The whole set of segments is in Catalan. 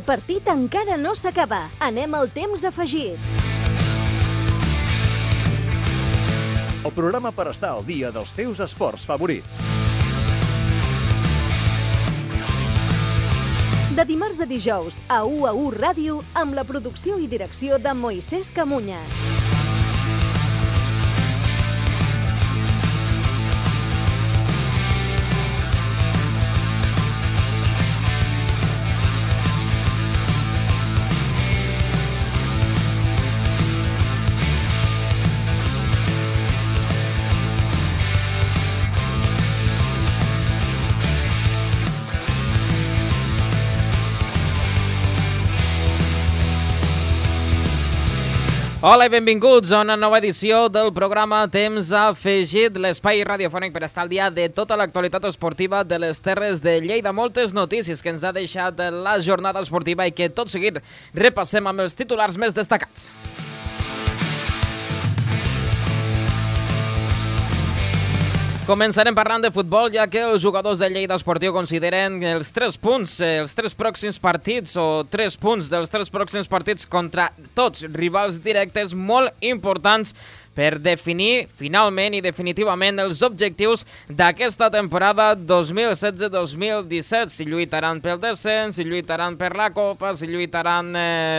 partit encara no s'acaba. Anem al temps afegit. El programa per estar al dia dels teus esports favorits. De dimarts a dijous, a UAU Ràdio, amb la producció i direcció de Moisés Camuñas. Hola i benvinguts a una nova edició del programa Temps Afegit, l'espai radiofònic per estar al dia de tota l'actualitat esportiva de les Terres de Lleida. Moltes notícies que ens ha deixat la jornada esportiva i que tot seguit repassem amb els titulars més destacats. Començarem parlant de futbol, ja que els jugadors de Lleida Esportiu consideren els 3 punts, els 3 pròxims partits o 3 punts dels 3 pròxims partits contra tots rivals directes molt importants per definir finalment i definitivament els objectius d'aquesta temporada 2016-2017. Si lluitaran pel descens, si lluitaran per la Copa, si lluitaran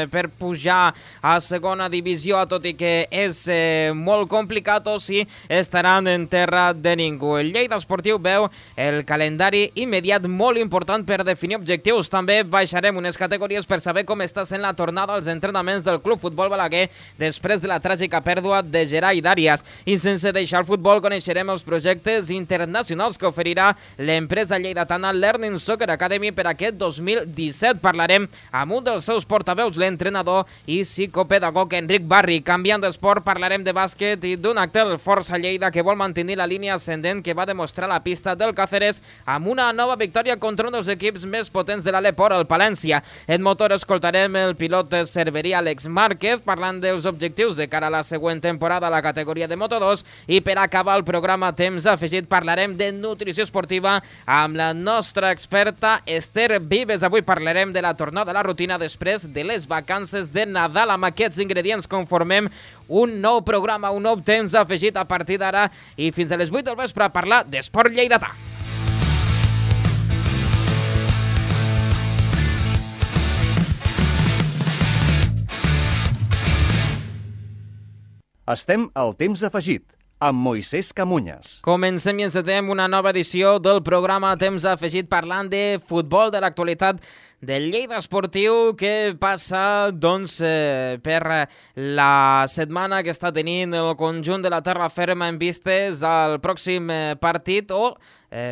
per pujar a segona divisió, tot i que és molt complicat, o si estaran en terra de ningú. El Lleida Esportiu veu el calendari immediat molt important per definir objectius. També baixarem unes categories per saber com està sent la tornada als entrenaments del Club Futbol Balaguer després de la tràgica pèrdua de Gerai Dàrias. I sense deixar el futbol coneixerem els projectes internacionals que oferirà l'empresa lleidatana Learning Soccer Academy per aquest 2017. Parlarem amb un dels seus portaveus, l'entrenador i psicopedagog Enric Barri. Canviant d'esport, parlarem de bàsquet i d'un acte del Força Lleida que vol mantenir la línia ascendent que va demostrar la pista del Càceres amb una nova victòria contra un dels equips més potents de l'Aleport, el Palència. En motor escoltarem el pilot cerverí Àlex Márquez parlant dels objectius de cara a la següent temporada a la categoria de Moto2, i per acabar el programa Temps Afegit parlarem de nutrició esportiva amb la nostra experta Esther Vives. Avui parlarem de la tornada a la rutina després de les vacances de Nadal. Amb aquests ingredients conformem un nou programa, un nou Temps Afegit a partir d'ara i fins a les 8 del vespre a parlar d'esport lleidatà. Estem al Temps Afegit, amb Moisés Camuñas. Comencem i encetem una nova edició del programa Temps Afegit parlant de futbol, de l'actualitat del Lleida Esportiu, que passa per la setmana que està tenint el conjunt de la terra ferma en vistes al pròxim partit o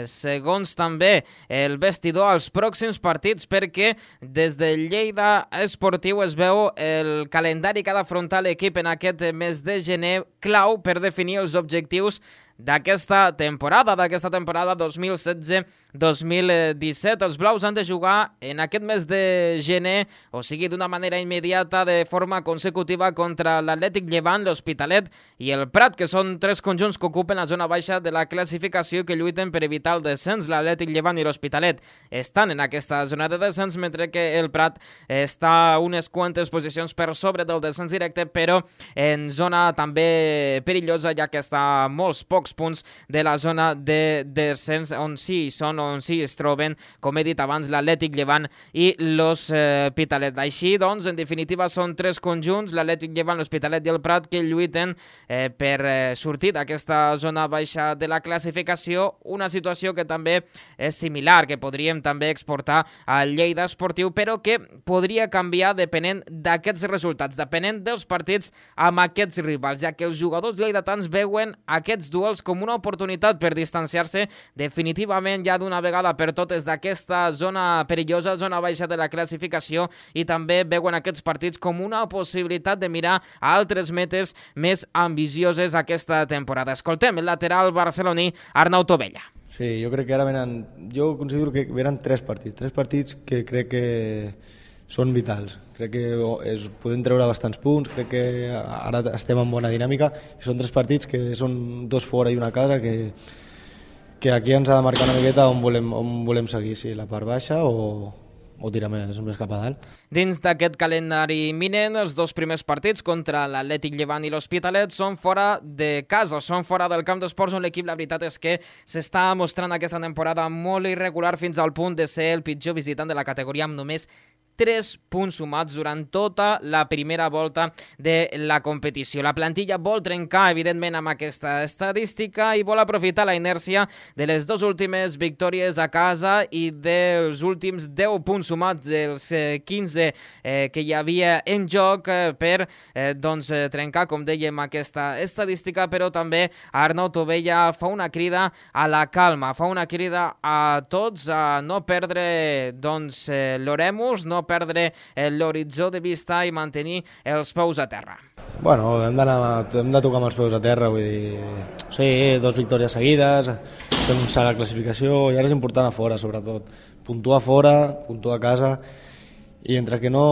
segons també el vestidor als pròxims partits, perquè des del Lleida Esportiu es veu el calendari que ha d'afrontar l'equip en aquest mes de gener clau per definir els objectius d'aquesta temporada 2016-2017. Els blaus han de jugar en aquest mes de gener, o sigui, d'una manera immediata, de forma consecutiva, contra l'Atlètic Llevant, l'Hospitalet i el Prat, que són 3 conjunts que ocupen la zona baixa de la classificació que lluiten per evitar el descens. L'Atlètic Llevant i l'Hospitalet estan en aquesta zona de descens, mentre que el Prat està unes quantes posicions per sobre del descens directe, però en zona també perillosa, ja que està a molts pocs punts de la zona de descens on sí es troben, com he dit abans, l'Atlètic Llevant i l'Hospitalet. Així, doncs, en definitiva, són 3 conjunts, l'Atlètic Llevant, l'Hospitalet i el Prat, que lluiten per sortir d'aquesta zona baixa de la classificació, una situació que també és similar, que podríem també exportar al Lleida Esportiu, però que podria canviar depenent d'aquests resultats, depenent dels partits amb aquests rivals, ja que els jugadors lleidatans veuen aquests duels com una oportunitat per distanciar-se definitivament ja d'una vegada per totes d'aquesta zona perillosa, zona baixa de la classificació, i també veuen aquests partits com una possibilitat de mirar a altres metes més ambicioses aquesta temporada. Escoltem el lateral barceloní Arnau Tovella. Sí, jo crec que ara jo considero que venen 3 partits que crec que són vitals. Crec que podem treure bastants punts, crec que ara estem en bona dinàmica, i són 3 partits que són 2 fora i una a casa, que aquí ens ha de marcar una miqueta on volem seguir, si la part baixa o o tirar més cap a dalt. Dins d'aquest calendari imminent, els 2 primers partits contra l'Atlètic Llevant i l'Hospitalet són fora de casa, són fora del camp d'esports, on l'equip, la veritat és que s'està mostrant aquesta temporada molt irregular, fins al punt de ser el pitjor visitant de la categoria, amb només 3 punts sumats durant tota la primera volta de la competició. La plantilla vol trencar, evidentment, amb aquesta estadística i vol aprofitar la inèrcia de les 2 últimes victòries a casa i dels últims 10 punts sumats dels 15 que hi havia en joc per trencar, com dèiem, aquesta estadística, però també Arnau Tovella fa una crida a la calma, fa una crida a tots a no perdre l'oremus, no perdre l'horitzó de vista i mantenir els peus a terra. Bueno, hem de tocar amb els peus a terra, vull dir, sí, 2 victòries seguides, fem un salt a la classificació i ara és important a fora, sobretot. Puntuar a fora, puntuar a casa, i entre que no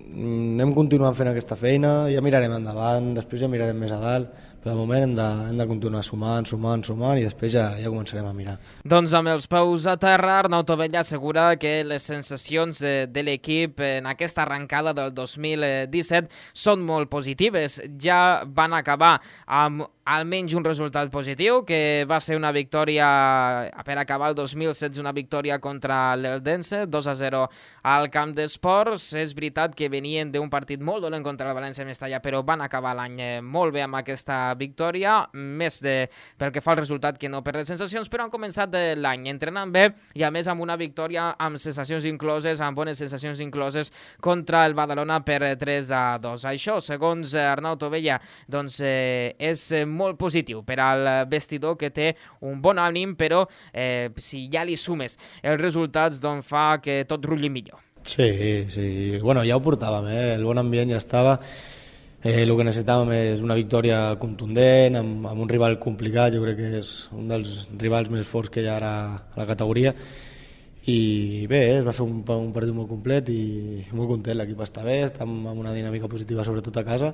anem continuant fent aquesta feina, ja mirarem endavant, després ja mirarem més a dalt, però de moment hem de continuar sumant i després ja començarem a mirar. Doncs amb els peus a terra, Arnau Tovella assegura que les sensacions de l'equip en aquesta arrencada del 2017 són molt positives. Ja van acabar amb almenys un resultat positiu, que va ser una victòria per acabar el 2016, una victòria contra l'Eldense, 2-0 al camp d'esports. És veritat que venien d'un partit molt dolent contra el València Mestalla, però van acabar l'any molt bé amb aquesta victòria, més pel que fa al resultat que no per les sensacions, però han començat l'any entrenant bé i a més amb una victòria amb sensacions incloses, amb bones sensacions incloses contra el Badalona per 3-2. Això, segons Arnau Tovella, doncs és molt positiu per al vestidor, que té un bon ànim, però si ja li sumes els resultats, doncs fa que tot rulli millor. Sí, bueno, ja ho portàvem, el bon ambient ja estava. El que necessitàvem és una victòria contundent, amb un rival complicat, jo crec que és un dels rivals més forts que hi ha ara a la categoria, i bé, es va fer un partit molt complet i molt content, l'equip està bé, està amb una dinàmica positiva sobretot a casa,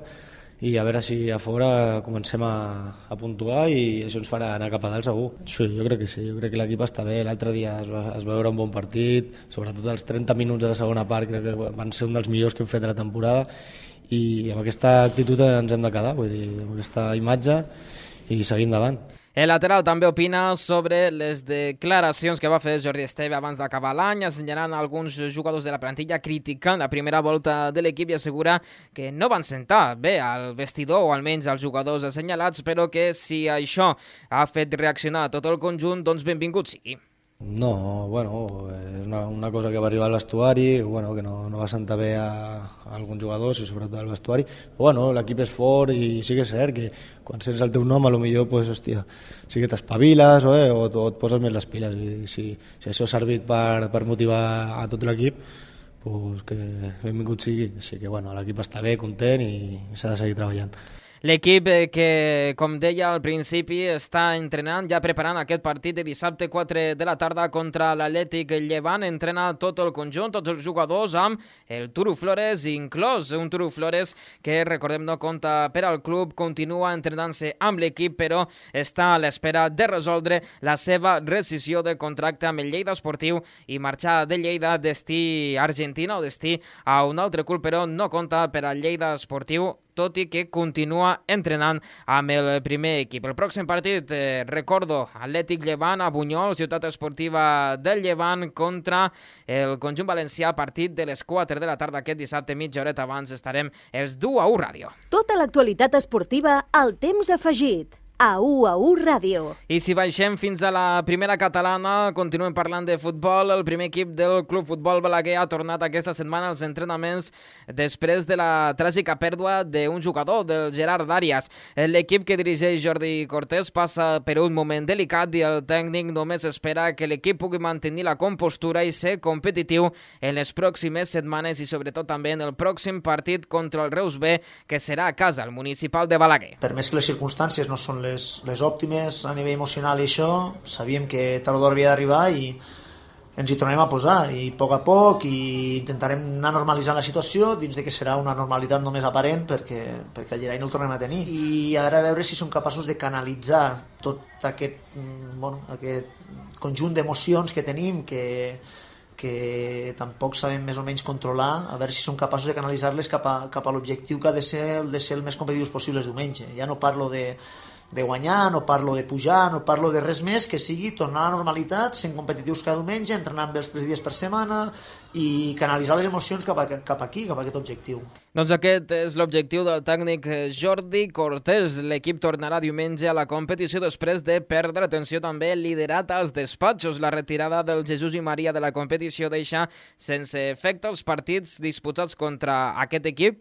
i a veure si a fora comencem a puntuar i això ens farà anar cap a dalt segur. Sí, jo crec que sí, jo crec que l'equip està bé. L'altre dia es va veure un bon partit, sobretot els 30 minuts de la segona part crec que van ser un dels millors que hem fet de la temporada, i amb aquesta actitud ens hem de quedar, vull dir, amb aquesta imatge, i seguir endavant. El lateral també opina sobre les declaracions que va fer Jordi Esteve abans d'acabar l'any, assenyalant alguns jugadors de la plantilla, criticant la primera volta de l'equip i assegura que no van sentar bé al vestidor, o almenys als jugadors assenyalats, però que si això ha fet reaccionar tot el conjunt, doncs benvingut sigui. No, bueno, és una cosa que va arribar al vestuari, bueno, que no va sentar bé a alguns jugadors i sobretot al vestuari. Però bueno, l'equip és fort i sí que és cert que quan sents el teu nom, potser pues, hòstia, sí que t'espaviles o et poses més les piles. I si això ha servit per motivar a tot l'equip, pues que benvingut sigui. Així que bueno, l'equip està bé, content i s'ha de seguir treballant. L'equip que, com deia al principi, està entrenant, ja preparant aquest partit de dissabte 4 de la tarda contra l'Atlètic Llevant. Entrena tot el conjunt, tots els jugadors, amb el Turu Flores inclòs. Un Turu Flores que, recordem, no compta per al club, continua entrenant-se amb l'equip, però està a l'espera de resoldre la seva rescissió de contracte amb el Lleida Esportiu i marxar de Lleida destí Argentina o destí a un altre club, però no compta per al Lleida Esportiu, tot i que continua entrenant amb el primer equip. El pròxim partit, recordo, Atlètic Llevant a Bunyol, ciutat esportiva del Llevant, contra el conjunt valencià, partit de les 4 de la tarda aquest dissabte, mitja horeta abans estarem els du a U Ràdio. Tota l'actualitat esportiva al temps afegit. A U Ràdio. I si baixem fins a la primera catalana, continuem parlant de futbol. El primer equip del Club Futbol Balaguer ha tornat aquesta setmana als entrenaments després de la tràgica pèrdua d'un jugador, del Gerard Arias. L'equip que dirigeix Jordi Cortés passa per un moment delicat i el tècnic només espera que l'equip pugui mantenir la compostura i ser competitiu en les pròximes setmanes i sobretot també en el pròxim partit contra el Reus B, que serà a casa, al municipal de Balaguer. Per més que les circumstàncies no són les òptimes a nivell emocional i això, sabíem que tard o d'hora havia d'arribar i ens hi tornarem a posar, i a poc i intentarem anar normalitzant la situació dins de que serà una normalitat només aparent perquè el Llerai no el tornem a tenir, i ara a veure si som capaços de canalitzar tot aquest conjunt d'emocions que tenim, que que tampoc sabem més o menys controlar, a veure si som capaços de canalitzar-les cap a l'objectiu que ha de ser el més competitius possibles diumenge. Ja no parlo de guanyar, no parlo de pujar, no parlo de res més que sigui tornar a la normalitat, sent competitius cada diumenge, entrenant bé els 3 dies per setmana i canalitzar les emocions cap aquí, cap a aquest objectiu. Doncs aquest és l'objectiu del tècnic Jordi Cortés. L'equip tornarà diumenge a la competició després de perdre, atenció també, liderat als despatxos. La retirada del Jesús i Maria de la competició deixa sense efecte els partits disputats contra aquest equip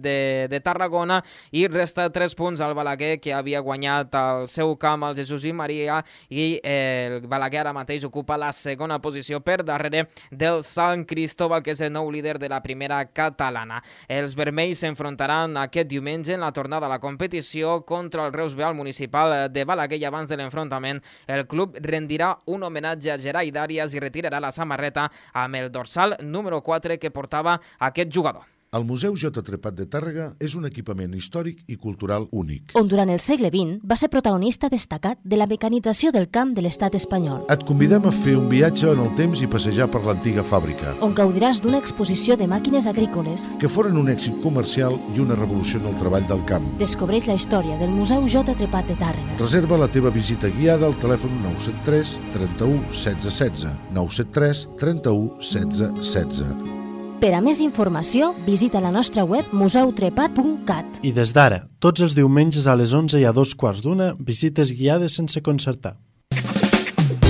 de Tarragona, i resta 3 punts al Balaguer, que havia guanyat al seu camp al Jesús i Maria, i el Balaguer ara mateix ocupa la segona posició per darrere del Sant Cristóbal, que és el nou líder de la primera catalana. Els vermells s'enfrontaran aquest diumenge en la tornada a la competició contra el Reus B al municipal de Balaguer, i abans de l'enfrontament el club rendirà un homenatge a Gerai Dàrias i retirarà la samarreta amb el dorsal número 4 que portava aquest jugador. El Museu J. Trepat de Tàrrega és un equipament històric i cultural únic, on durant el segle XX va ser protagonista destacat de la mecanització del camp de l'estat espanyol. Et convidem a fer un viatge en el temps i passejar per l'antiga fàbrica, on gaudiràs d'una exposició de màquines agrícoles que foren un èxit comercial i una revolució en el treball del camp. Descobreix la història del Museu J. Trepat de Tàrrega. Reserva la teva visita guiada al telèfon 973 31 16 16, 973 31 16 16. Per a més informació, visita la nostra web museutrepat.cat. I des d'ara, tots els diumenges a les 11 i a 2:15, visites guiades sense concertar.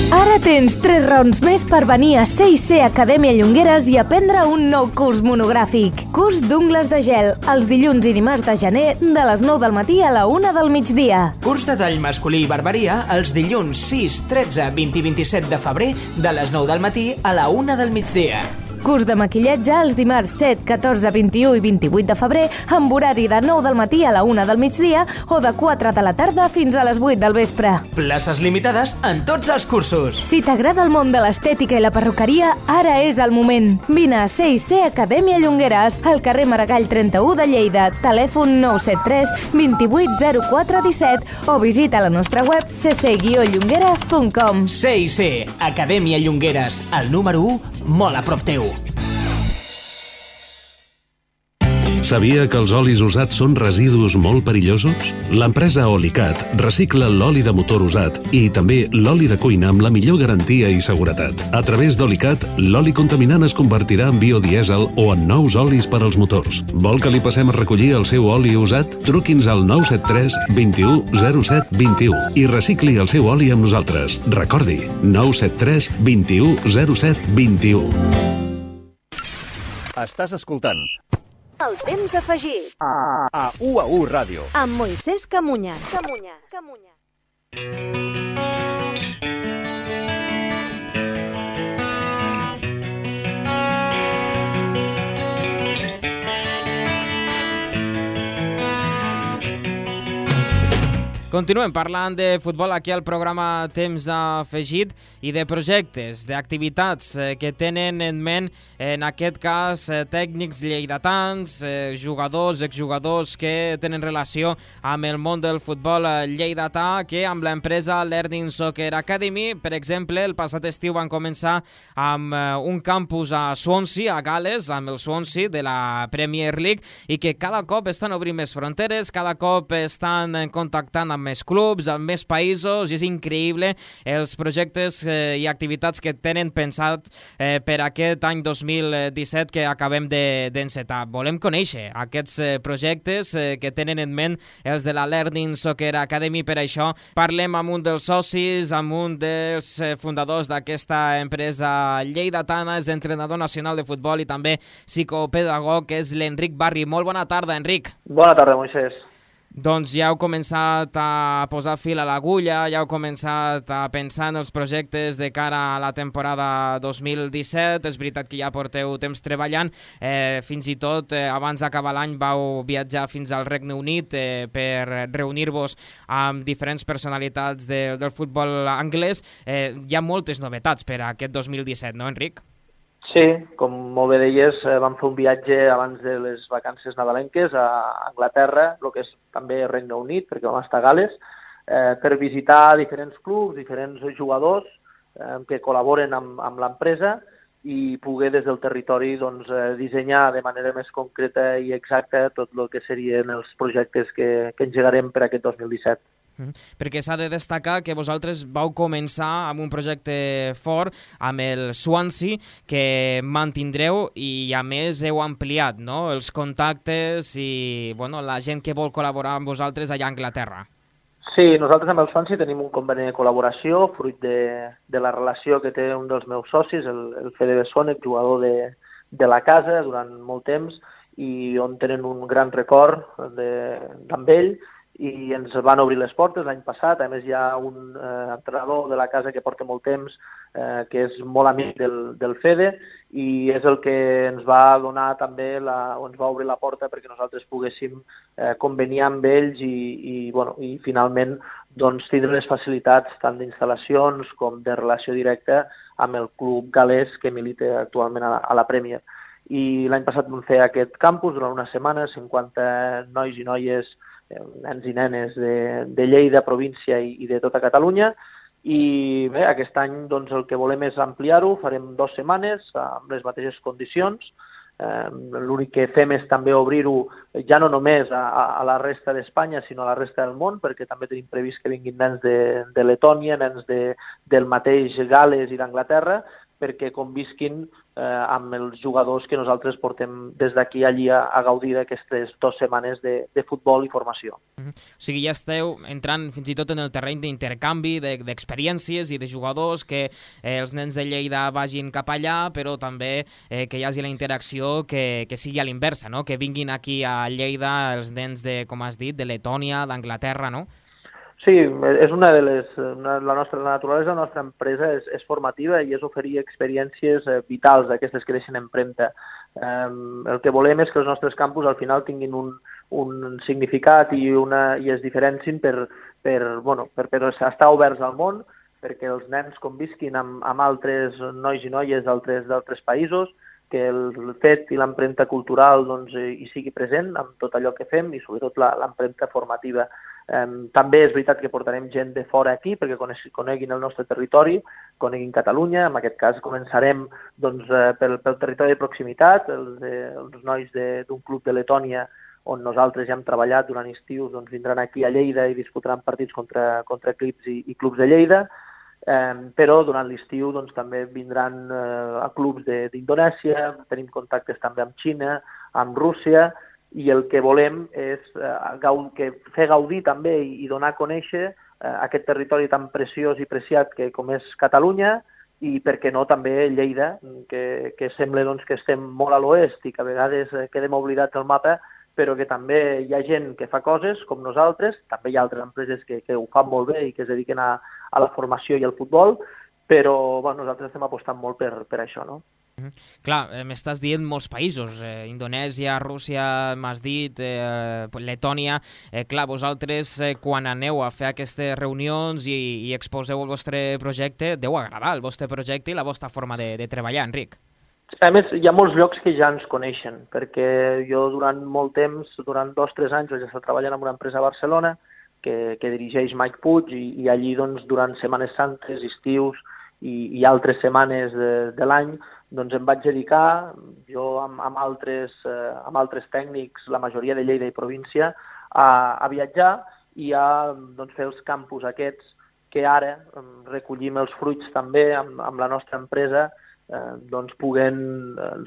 Ara tens 3 raons més per venir a C&C Acadèmia Llongueres i aprendre un nou curs monogràfic. Curs d'ungles de gel, els dilluns i dimarts de gener, de les 9 del matí a la 1 del migdia. Curs de tall masculí i barberia, els dilluns 6, 13, 20 i 27 de febrer, de les 9 del matí a la 1 del migdia. Curs de maquillatge els dimarts 7, 14, 21 i 28 de febrer, amb horari de 9 del matí a la 1 del migdia o de 4 de la tarda fins a les 8 del vespre. Places limitades en tots els cursos. Si t'agrada el món de l'estètica i la perruqueria, ara és el moment. Vine a C&C Acadèmia Llongueres, al carrer Maragall 31 de Lleida, telèfon 973 28 04 17 o visita la nostra web cc-llongueres.com. C&C Acadèmia Llongueres, el número 1, molt a prop teu. Sabia que els olis usats són residus molt perillosos? L'empresa Olicat recicla l'oli de motor usat i també l'oli de cuina amb la millor garantia i seguretat. A través d'Olicat, l'oli contaminant es convertirà en biodièsel o en nous olis per als motors. Vol que li passem a recollir el seu oli usat? Truqui'ns al 973 21 07 21 i recicli el seu oli amb nosaltres. Recordi, 973 21 07 21. Estàs escoltant El temps afegit a UAU Ràdio amb Moisés Camunya. Continuem parlant de futbol aquí al programa Temps Afegit i de projectes, d'activitats que tenen en ment, en aquest cas, tècnics lleidatans, jugadors, exjugadors que tenen relació amb el món del futbol lleidatà, que amb l'empresa Learning Soccer Academy, per exemple, el passat estiu van començar amb un campus a Swansea, a Gales, amb el Swansea de la Premier League, i que cada cop estan obrint més fronteres, cada cop estan contactant amb més clubs, amb més països, i és increïble els projectes i activitats que tenen pensat per aquest any 2017 que acabem d'encetar. Volem conèixer aquests projectes que tenen en ment els de la Learning Soccer Academy. Per això parlem amb un dels socis, amb un dels fundadors d'aquesta empresa lleidatana, és entrenador nacional de futbol i també psicopedagog, que és l'Enric Barri. Molt bona tarda, Enric. Bona tarda, Moisés. Doncs ja heu començat a posar fil a l'agulla, ja heu començat a pensar en els projectes de cara a la temporada 2017. És veritat que ja porteu temps treballant. Fins i tot abans d'acabar l'any vau viatjar fins al Regne Unit per reunir-vos amb diferents personalitats del futbol anglès. Hi ha moltes novetats per a aquest 2017, no, Enric? Sí, com molt bé deies, vam fer un viatge abans de les vacances nadalenques a Anglaterra, el que és també Regne Unit, perquè vam estar a Gales, per visitar diferents clubs, diferents jugadors que col·laboren amb l'empresa i poder des del territori doncs, dissenyar de manera més concreta i exacta tot el que serien els projectes que engegarem per aquest 2017. Perquè s'ha de destacar que vosaltres vau començar amb un projecte fort amb el Swansea que mantindreu i a més heu ampliat, no?, els contactes i la gent que vol col·laborar amb vosaltres allà a Anglaterra. Sí, nosaltres amb el Swansea tenim un conveni de col·laboració fruit de la relació que té un dels meus socis, el Fede Bessonet, jugador de la casa durant molt temps i on tenen un gran record amb ell, i ens van obrir les portes l'any passat. A més, hi ha un entrenador de la casa que porta molt temps, que és molt amic del Fede, i és el que ens va donar també, ens va obrir la porta perquè nosaltres poguéssim conveniar amb ells i finalment doncs, tindre les facilitats tant d'instal·lacions com de relació directa amb el club galès que milita actualment a la Premier. I l'any passat vam fer aquest campus durant una setmana, 50 nois i noies, nens i nenes de Lleida, província i de tota Catalunya, i bé, aquest any doncs, el que volem és ampliar-ho, farem 2 setmanes amb les mateixes condicions. L'únic que fem és també obrir-ho ja no només a la resta d'Espanya, sinó a la resta del món, perquè també tenim previst que vinguin nens de Letònia, nens del mateix Gales i d'Anglaterra, perquè convisquin amb els jugadors que nosaltres portem des d'aquí allí a gaudir d'aquestes 2 setmanes de futbol i formació. O sigui, ja esteu entrant fins i tot en el terreny d'intercanvi, d'experiències i de jugadors, que els nens de Lleida vagin cap allà, però també que hi hagi la interacció que sigui a l'inversa, no? Que vinguin aquí a Lleida els nens de, com has dit, de Letònia, d'Anglaterra, no? Sí, és una de la naturalesa de la nostra empresa és formativa i és oferir experiències vitals, aquestes que deixen empremta. El que volem és que els nostres campus al final tinguin un significat i es diferencin per estar oberts al món, perquè els nens convisquin amb altres nois i noies d'altres països, que el fet i l'empremta cultural doncs, hi sigui present amb tot allò que fem i sobretot l'empremta formativa. També és veritat que portarem gent de fora aquí perquè coneguin el nostre territori, coneguin Catalunya. En aquest cas començarem doncs, pel territori de proximitat, els nois d'un club de Letònia on nosaltres ja hem treballat durant estius, doncs vindran aquí a Lleida i disputaran partits contra equips i clubs de Lleida, però durant l'estiu doncs, també vindran a clubs d'Indonèsia, tenim contactes també amb Xina, amb Rússia, i el que volem és fer gaudir també i donar a conèixer aquest territori tan preciós i preciat com és Catalunya, i per què no també Lleida, que sembla doncs, que estem molt a l'oest i que a vegades quedem oblidats del mapa, però que també hi ha gent que fa coses com nosaltres, també hi ha altres empreses que ho fan molt bé i que es dediquen a la formació i al futbol, però nosaltres estem apostant molt per això, no? Clar, m'estàs dient molts països, Indonèsia, Rússia, m'has dit, Letònia. Clar, vosaltres quan aneu a fer aquestes reunions i exposeu el vostre projecte, deu agradar el vostre projecte i la vostra forma de treballar, Enric. A més, hi ha molts llocs que ja ens coneixen, perquè jo durant molt temps, durant 2 o 3 anys, vaig estar treballant en una empresa a Barcelona que dirigeix Mike Puig i allí doncs, durant Setmanes Santes, estius i altres setmanes de l'any doncs em vaig dedicar, jo amb altres tècnics, la majoria de Lleida i província, a viatjar i a doncs, fer els campus aquests que ara recollim els fruits també amb la nostra empresa, doncs puguem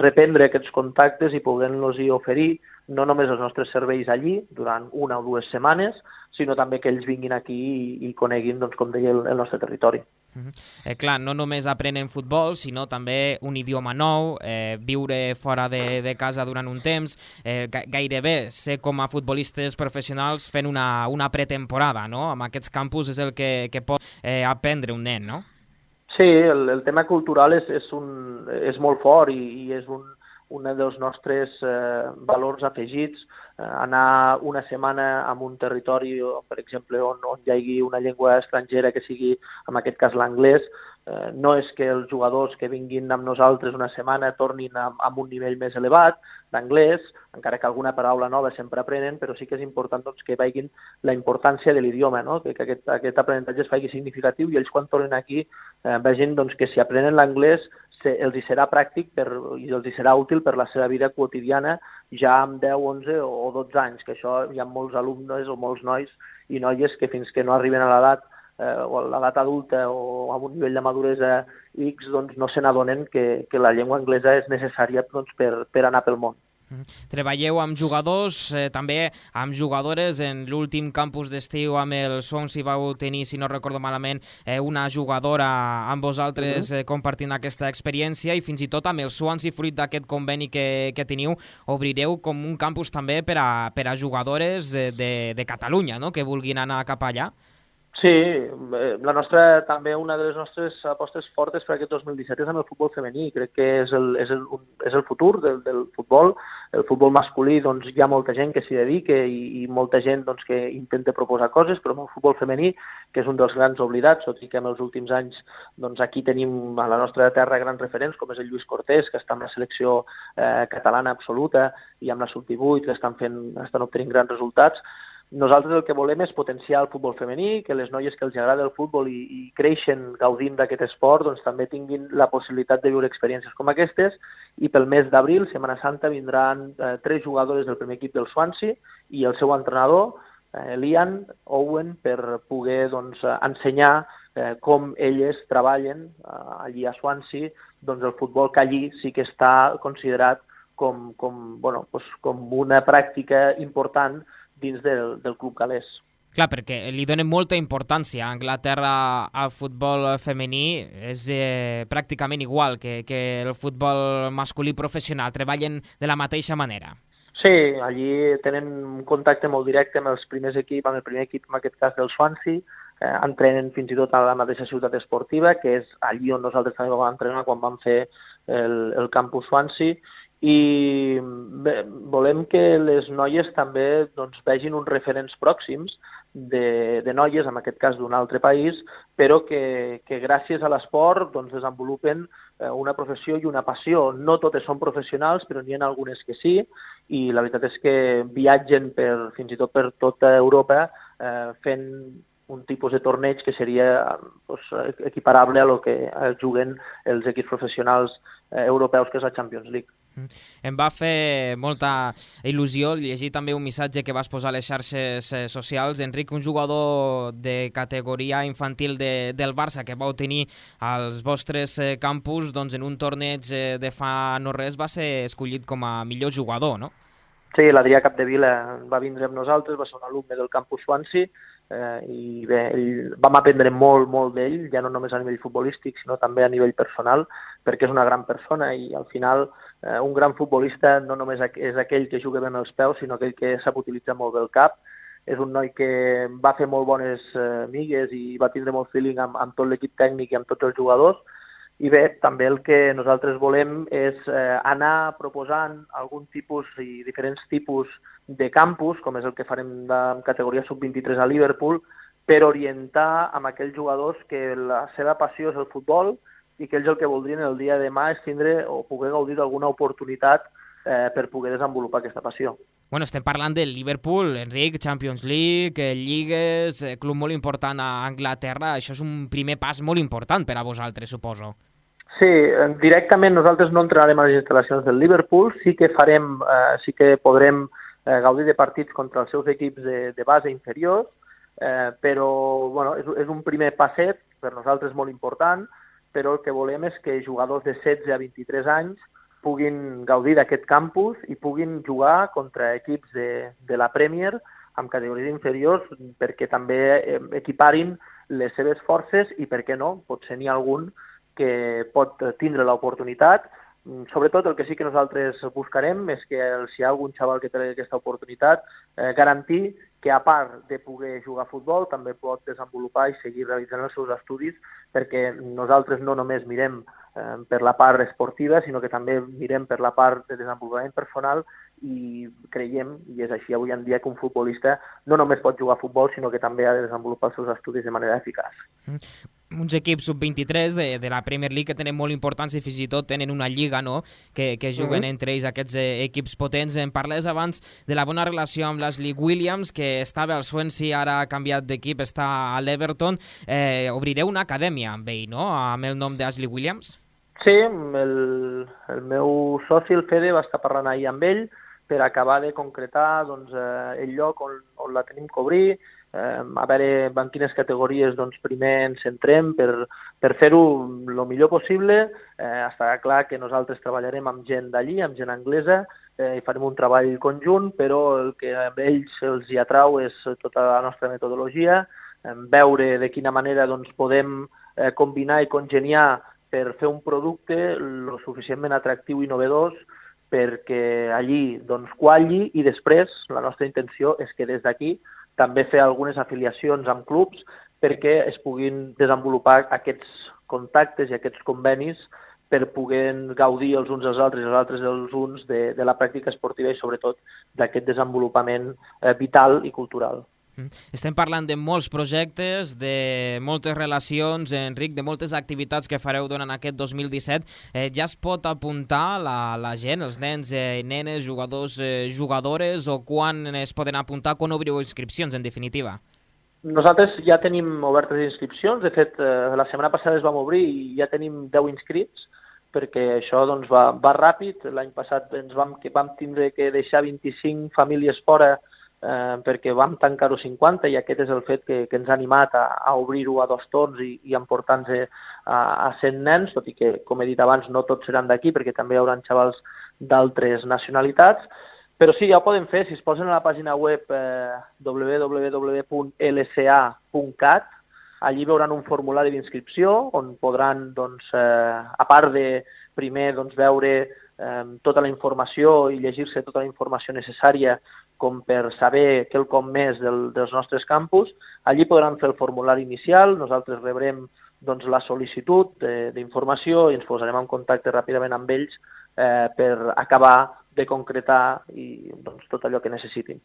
reprendre aquests contactes i puguem-los oferir no només els nostres serveis allí durant 1 o 2 setmanes, sinó també que ells vinguin aquí i coneguin, doncs, com deia, el nostre territori. Clar, no només aprenen futbol, sinó també un idioma nou, viure fora de casa durant un temps, gairebé ser com a futbolistes professionals fent una pretemporada, no? Amb aquests campus és el que pot aprendre un nen, no? Sí, el tema cultural és molt fort i és un dels nostres valors afegits. Anar una setmana en un territori, per exemple, on hi hagi una llengua estrangera que sigui, en aquest cas, l'anglès, no és que els jugadors que vinguin amb nosaltres una setmana tornin amb un nivell més elevat d'anglès, encara que alguna paraula nova sempre aprenen, però sí que és important doncs, que vegin la importància de l'idioma, no? Que aquest aprenentatge es faci significatiu i ells quan tornen aquí vegin doncs, que si aprenen l'anglès els hi serà pràctic i els hi serà útil per la seva vida quotidiana ja amb 10, 11 o 12 anys, que això hi ha molts alumnes o molts nois i noies que fins que no arriben a l'edat o a l'edat adulta o a un nivell de maduresa X, doncs no se n'adonen que la llengua anglesa és necessària doncs, per anar pel món. Treballeu amb jugadors, també amb jugadores. En l'últim campus d'estiu amb el Swansea vau tenir, si no recordo malament, una jugadora amb vosaltres compartint aquesta experiència, i fins i tot amb el Swansea, fruit d'aquest conveni que teniu, obrireu com un campus també per a jugadores de Catalunya, no?, que vulguin anar cap allà. Sí, també una de les nostres apostes fortes per aquest 2017 és amb el futbol femení. Crec que és el futur del futbol. El futbol masculí, doncs, hi ha molta gent que s'hi dedica i molta gent doncs, que intenta proposar coses, però amb el futbol femení, que és un dels grans oblidats, tot i que en els últims anys doncs, aquí tenim a la nostra terra grans referents, com és el Lluís Cortés, que està en la selecció catalana absoluta, i amb la sub-18, que estan obtenint grans resultats. Nosaltres el que volem és potenciar el futbol femení, que les noies que els agrada el futbol i creixen gaudint d'aquest esport doncs també tinguin la possibilitat de viure experiències com aquestes, i pel mes d'abril, Setmana Santa, vindran 3 jugadores del primer equip del Swansea i el seu entrenador, Lian Owen, per poder doncs, ensenyar com elles treballen allí a Swansea doncs, el futbol, que allí sí que està considerat com una pràctica important dins del club galès. Clar, perquè li donen molta importància. A Anglaterra el futbol femení és pràcticament igual que el futbol masculí professional. Treballen de la mateixa manera. Sí, allí tenen un contacte molt directe amb el primer equip, en aquest cas del Swansea. Entrenen fins i tot a la mateixa ciutat esportiva, que és allí on nosaltres també vam entrenar quan vam fer el campus Swansea. I bé, volem que les noies també doncs, vegin uns referents pròxims de noies, en aquest cas d'un altre país, però que gràcies a l'esport doncs, desenvolupen una professió i una passió. No totes són professionals, però n'hi ha algunes que sí, i la veritat és que viatgen fins i tot per tota Europa fent un tipus de torneig que seria equiparable a lo que juguen els equips professionals europeus, que és la Champions League. Em va fer molta il·lusió llegir també un missatge que vas posar a les xarxes socials, Enric, un jugador de categoria infantil del Barça que vau tenir als vostres campus, doncs en un torneig de fa no res va ser escollit com a millor jugador, no? Sí, l'Adrià Capdevila va vindre amb nosaltres, va ser un alumne del campus Swansea, i bé, vam aprendre molt d'ell, ja no només a nivell futbolístic, sinó també a nivell personal, perquè és una gran persona i al final un gran futbolista no només és aquell que juga bé amb els peus, sinó aquell que sap utilitzar molt bé el cap. És un noi que va fer molt bones migues i va tindre molt feeling amb tot l'equip tècnic i amb tots els jugadors. I bé, també el que nosaltres volem és anar proposant algun tipus i diferents tipus de campus, com és el que farem de categoria sub-23 a Liverpool, per orientar amb aquells jugadors que la seva passió és el futbol i que ells el que voldrien el dia de demà és tindre o poder gaudir d'alguna oportunitat per poder desenvolupar aquesta passió. Bueno, estem parlant del Liverpool, Enric, Champions League, lligues, club molt important a Anglaterra. Això és un primer pas molt important per a vosaltres, suposo. Sí, directament nosaltres no entrarem a les instal·lacions del Liverpool, sí que podrem gaudir de partits contra els seus equips de base inferiors, però bueno, és un primer passet, per nosaltres molt important, però el que volem és que jugadors de 16 a 23 anys puguin gaudir d'aquest campus i puguin jugar contra equips de la Premier amb categories inferiors, perquè també equiparin les seves forces i, per què no, potser n'hi ha algun que pot tindre l'oportunitat. Sobretot el que sí que nosaltres buscarem és que si hi ha algun xaval que té aquesta oportunitat, garantir que a part de poder jugar a futbol també pot desenvolupar i seguir realitzant els seus estudis, perquè nosaltres no només mirem per la part esportiva, sinó que també mirem per la part de desenvolupament personal i creiem, i és així avui en dia, que un futbolista no només pot jugar a futbol, sinó que també ha de desenvolupar els seus estudis de manera eficaç. Uns equips sub-23 de la Premier League que tenen molt importància i fins i tot tenen una lliga, no?, que juguen entre ells aquests equips potents. Em parles abans de la bona relació amb l'Ashley Williams, que estava al Swansea, ara ha canviat d'equip, està a l'Everton. Obrireu una acadèmia amb ell, no?, amb el nom d'Ashley Williams? Sí, el meu soci, el Fede, va estar parlant ahir amb ell per acabar de concretar doncs, el lloc on la tenim que obrir, a veure en quines categories primer ens centrem per fer-ho el millor possible. Està clar que nosaltres treballarem amb gent d'allí, amb gent anglesa, i farem un treball conjunt, però el que a ells els hi atrau és tota la nostra metodologia, veure de quina manera podem combinar i congeniar per fer un producte lo suficientment atractiu i novedós perquè allí qualli, i després la nostra intenció és que des d'aquí també fer algunes afiliacions amb clubs perquè es puguin desenvolupar aquests contactes i aquests convenis per poder gaudir els uns dels altres i els altres dels uns de la pràctica esportiva i sobretot d'aquest desenvolupament vital i cultural. Estem parlant de molts projectes, de moltes relacions, Enric, de moltes activitats que fareu durant aquest 2017. Ja es pot apuntar la gent, els nens i nenes, jugadors, jugadores, o quan es poden apuntar, quan obriu inscripcions, en definitiva? Nosaltres ja tenim obertes inscripcions. De fet, la setmana passada es vam obrir i ja tenim 10 inscrits, perquè això va ràpid. L'any passat vam tindre que deixar 25 famílies fora perquè vam tancar-ho 50 i aquest és el fet que ens ha animat a obrir-ho a 2 torns i emportar-nos a 100 nens, tot i que, com he dit abans, no tots seran d'aquí perquè també hi haurà xavals d'altres nacionalitats, però sí, ja ho podem fer. Si es posen a la pàgina web www.lca.cat, allí veuran un formulari d'inscripció on podran, a part de primer veure tota la informació i llegir-se tota la informació necessària com per saber quelcom més dels nostres campus, allí podran fer el formulari inicial, nosaltres rebrem la sol·licitud d'informació i ens posarem en contacte ràpidament amb ells per acabar de concretar tot allò que necessitin.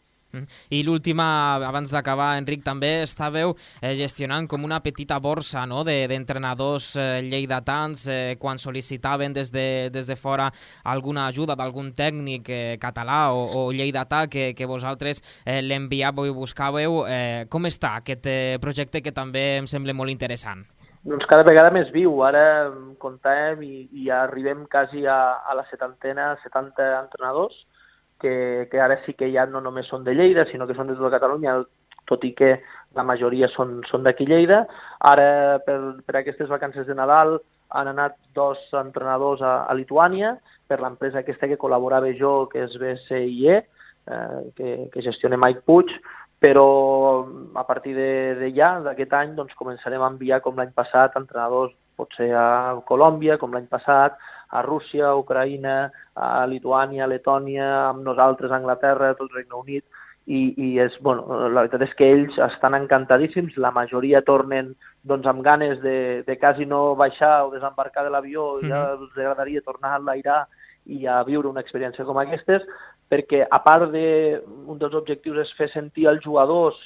I l'última, abans d'acabar, Enric, també estàveu gestionant com una petita borsa d'entrenadors lleidatans quan sol·licitaven des de fora alguna ajuda d'algun tècnic català o lleidatà que vosaltres l'enviàveu i buscàveu. Com està aquest projecte que també em sembla molt interessant? Doncs cada vegada més viu. Ara comptàvem i arribem quasi a la 70 entrenadors, que ara sí que ja no només són de Lleida, sinó que són de tota Catalunya, tot i que la majoria són d'aquí Lleida. Ara, per aquestes vacances de Nadal, han anat 2 entrenadors a Lituània, per l'empresa aquesta que col·laborava jo, que és BCIE, que gestiona Mike Puig, però a partir d'aquest any començarem a enviar, com l'any passat, entrenadors potser a Colòmbia, com l'any passat, a Rússia, a Ucraïna, a Lituània, a Letònia, amb nosaltres a Anglaterra, tot el Regne Unit, i la veritat és que ells estan encantadíssims, la majoria tornen amb ganes de quasi no baixar o desembarcar de l'avió, ja els agradaria tornar a enlairar i a viure una experiència com aquestes, perquè a part un dels objectius és fer sentir als jugadors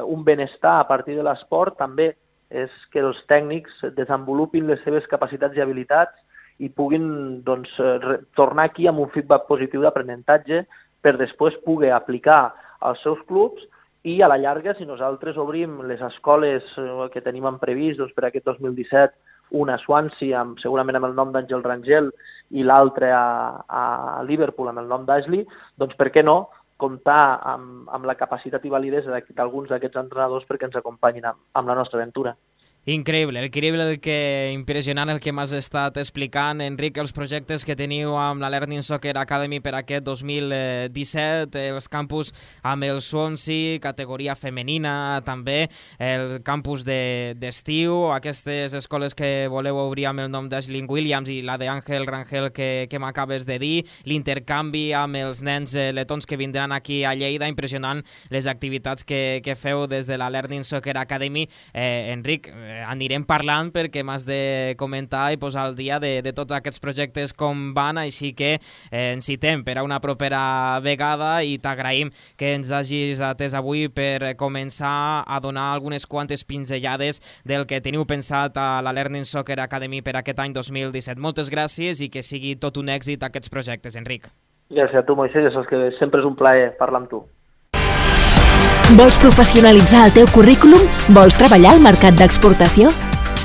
un benestar a partir de l'esport, també és que els tècnics desenvolupin les seves capacitats i habilitats i puguin tornar aquí amb un feedback positiu d'aprenentatge per després poder aplicar als seus clubs i a la llarga, si nosaltres obrim les escoles que tenim previst per aquest 2017, una a Swansea, segurament amb el nom d'Àngel Rangel, i l'altra a Liverpool amb el nom d'Ashley, doncs per què no comptar amb la capacitat i validesa d'alguns d'aquests entrenadors perquè ens acompanyin amb la nostra aventura. Increïble, impressionant el que m'has estat explicant, Enric, els projectes que teniu amb la Learning Soccer Academy per aquest 2017, els campus amb el Swansea, categoria femenina també, el campus d'estiu, aquestes escoles que voleu obrir amb el nom d'Ashley Williams i la d'Àngel Rangel que m'acabes de dir, l'intercanvi amb els nens letons que vindran aquí a Lleida, impressionant les activitats que feu des de la Learning Soccer Academy. Enric, anirem parlant perquè m'has de comentar i posar al dia de tots aquests projectes com van, així que ens citem per a una propera vegada i t'agraïm que ens hagis atès avui per començar a donar algunes quantes pinzellades del que teniu pensat a la Learning Soccer Academy per aquest any 2017. Moltes gràcies i que sigui tot un èxit aquests projectes, Enric. Gràcies a tu, Moisés, ja saps que sempre és un plaer parlar amb tu. Vols professionalitzar el teu currículum? Vols treballar al mercat d'exportació?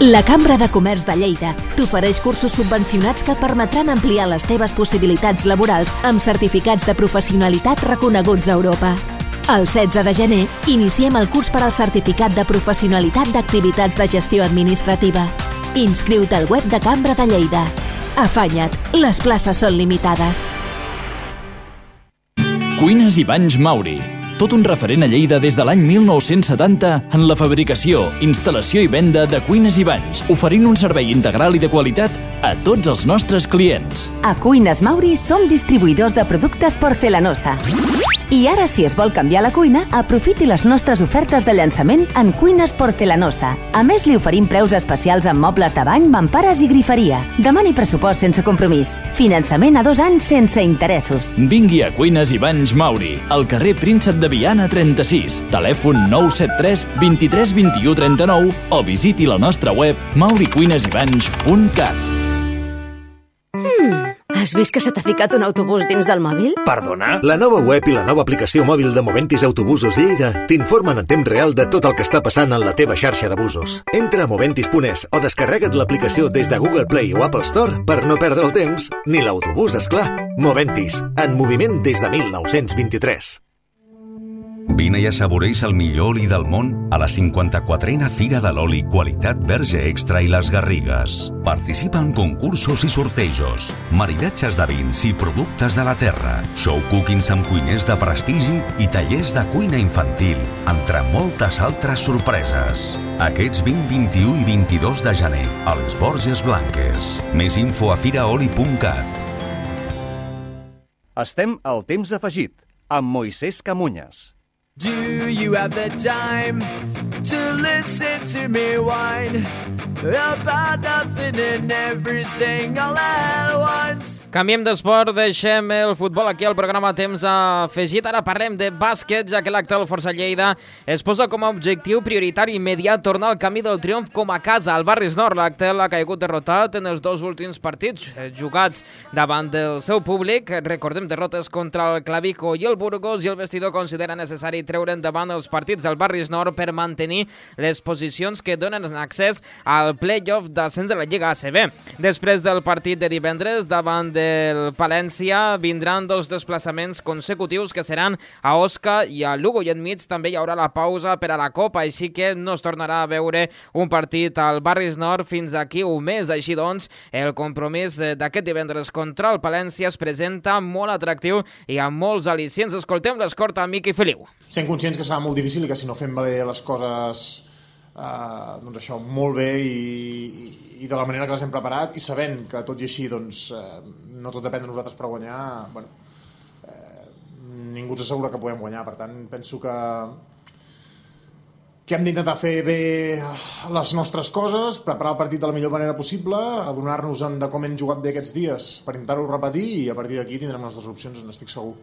La Cambra de Comerç de Lleida t'ofereix cursos subvencionats que et permetran ampliar les teves possibilitats laborals amb certificats de professionalitat reconeguts a Europa. El 16 de gener iniciem el curs per al certificat de professionalitat d'activitats de gestió administrativa. Inscriu-te al web de Cambra de Lleida. Afanya't, les places són limitades. Cuines i Banys Mauri. Tot un referent a Lleida des de l'any 1970 en la fabricació, instal·lació i venda de cuines i banys, oferint un servei integral i de qualitat a tots els nostres clients. A Cuines Mauri som distribuïdors de productes porcelanosa. I ara, si es vol canviar la cuina, aprofiti les nostres ofertes de llançament en Cuines Porcelanosa. A més, li oferim preus especials en mobles de bany, mampares i griferia. Demani pressupost sense compromís. Finançament a 2 anys sense interessos. Vingui a Cuines i Banys Mauri, al carrer Príncep de Viana 36, telèfon 973 23 21 39 o visiti la nostra web mauricuinesibans.cat. Has vist que se t'ha ficat un autobús dins del mòbil? Perdona? La nova web i la nova aplicació mòbil de Moventis Autobusos Lleida t'informen en temps real de tot el que està passant en la teva xarxa de busos. Entra a moventis.es o descarrega't l'aplicació des de Google Play o Apple Store per no perdre el temps ni l'autobús, esclar. Moventis, en moviment des de 1923. Vine i assaboreix el millor oli del món a la 54a Fira de l'Oli Qualitat Verge Extra i les Garrigues. Participa en concursos i sortejos, maridatges de vins i productes de la terra, show cookings amb cuiners de prestigi i tallers de cuina infantil, entre moltes altres sorpreses. Aquests 20, 21 i 22 de gener, a les Borges Blanques. Més info a firaoli.cat. Estem al Temps Afegit, amb Moisès Camunyes. Do you have the time to listen to me whine about nothing and everything all at once? Canviem d'esport, deixem el futbol aquí al programa Temps Afegit. Ara parlem de bàsquet, ja que l'acte del Força Lleida es posa com a objectiu prioritari immediat tornar al camí del triomf com a casa. Al Barris Nord, l'acte ha caigut derrotat en els 2 últims partits jugats davant del seu públic. Recordem derrotes contra el Clavijo i el Burgos, i el vestidor considera necessari treure endavant els partits del Barris Nord per mantenir les posicions que donen accés al play-off d'ascens de la Lliga ACB. Després del partit de divendres davant del Palència vindran 2 desplaçaments consecutius que seran a Osca i a Lugo, i enmig també hi haurà la pausa per a la Copa, així que no es tornarà a veure un partit al Barris Nord fins aquí un mes. Així doncs, el compromís d'aquest divendres contra el Palència es presenta molt atractiu i amb molts al·licients. Escoltem l'escort a Miqui Feliu. Sent conscients que serà molt difícil i que si no fem bé les coses doncs això, molt bé i de la manera que les hem preparat, i sabent que tot i així doncs, no tot depèn de nosaltres per guanyar, ningú ens assegura que podem guanyar. Per tant, penso que hem d'intentar fer bé les nostres coses, preparar el partit de la millor manera possible, adonar-nos de com hem jugat bé aquests dies per intentar-ho repetir, i a partir d'aquí tindrem les 2 opcions, n'estic segur.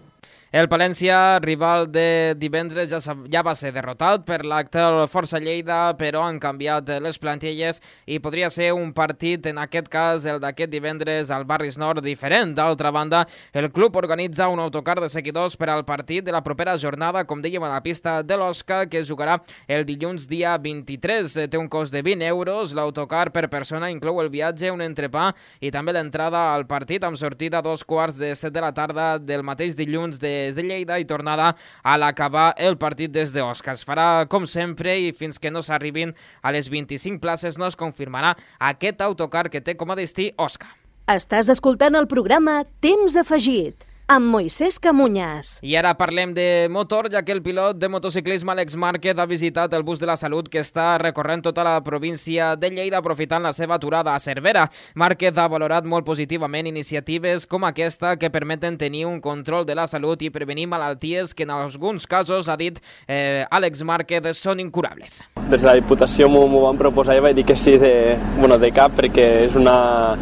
El Palència, rival de divendres, ja va ser derrotat per l'acte del Força Lleida, però han canviat les plantilles i podria ser un partit, en aquest cas el d'aquest divendres al Barris Nord, diferent. D'altra banda, el club organitza un autocar de seguidors per al partit de la propera jornada, com dèiem, a la pista de l'Osca, que es jugarà el dilluns dia 23. Té un cost de 20 euros. L'autocar per persona inclou el viatge, un entrepà i també l'entrada al partit, amb sortida a 2:15 de la tarda del mateix dilluns de Lleida i tornada a l'acabar el partit des d'Osca. Es farà com sempre i fins que no s'arribin a les 25 places no es confirmarà aquest autocar que té com a destí Osca. Estàs escoltant el programa Temps Afegit amb Moisès Camunyes. I ara parlem de motor, ja que el pilot de motociclisme Àlex Márquez ha visitat el bus de la Salut, que està recorrent tota la província de Lleida aprofitant la seva aturada a Cervera. Márquez ha valorat molt positivament iniciatives com aquesta que permeten tenir un control de la salut i prevenir malalties que en alguns casos, ha dit Àlex Márquez, són incurables. Des de la Diputació m'ho van proposar i vaig dir que sí de cap, perquè és una